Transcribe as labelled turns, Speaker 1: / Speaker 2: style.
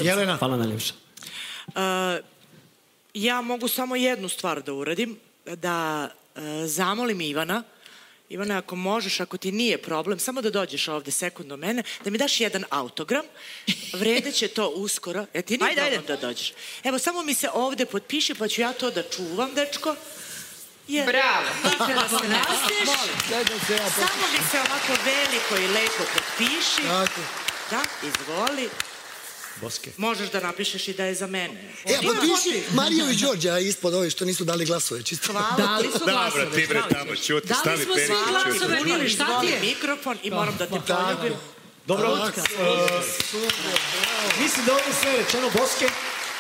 Speaker 1: Jelena.
Speaker 2: Hvala najljepša.
Speaker 3: Ja mogu samo jednu stvar da uradim, da zamolim Ivana. Ivana, ako možeš, ako ti nije problem, samo da dođeš ovde sekund do mene, da mi daš jedan autogram, vredeće to uskoro. Ti nije problem da dođeš. Evo, samo mi se ovde potpiši, pa ću ja to da čuvam, dečko.
Speaker 4: Bravo.
Speaker 3: Kada se nastiš, samo mi se ovako veliko i lepo potpiši. Da, izvoli.
Speaker 1: Boske.
Speaker 3: Možeš da napišeš i da je za mene.
Speaker 5: Potpiši Mariju i Đorđa ispod ove što nisu dali glasove, čisto.
Speaker 3: Dali
Speaker 6: su glasove. Dobro, ti bre tamo, čuti, stavi peri.
Speaker 4: Dali smo svi glasove, Mili, šta ti je?
Speaker 3: Mikrofon i moram da te poljubim.
Speaker 1: Dobro, mislim da ovdje sve rečeno, Boske.